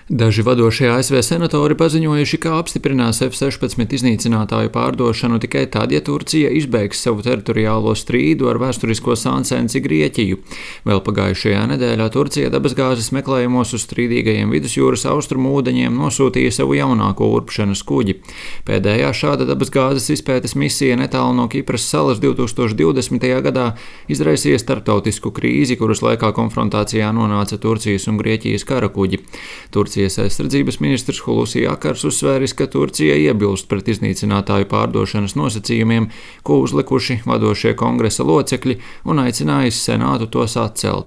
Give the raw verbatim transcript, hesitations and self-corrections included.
Daži vadošie A S V senatori paziņojuši, ka apstiprinās F sešpadsmit iznīcinātāju pārdošanu tikai tad, ja Turcija izbeigs savu teritoriālo strīdu ar vēsturisko sāncensi Grieķiju. Vēl pagājušajā nedēļā Turcija dabasgāzes meklējumos uz strīdīgajiem vidusjūras austrumu ūdeņiem nosūtīja savu jaunāko urpšanas kuģi. Pēdējā šāda dabasgāzes izpētes misija netālu no Kipras salas divtūkstoš divdesmitajā gadā izraisīja starptautisku krīzi, kuras laikā konfrontācijā nonāca Turcijas un Grieķijas karakuģi. Turcija Turcijas aizsardzības ministrs Hulusi Akars uzsvēris, ka Turcija iebilst pret iznīcinātāju pārdošanas nosacījumiem, ko uzlikuši vadošie kongresa locekļi, un aicinājis senātu tos atcelt.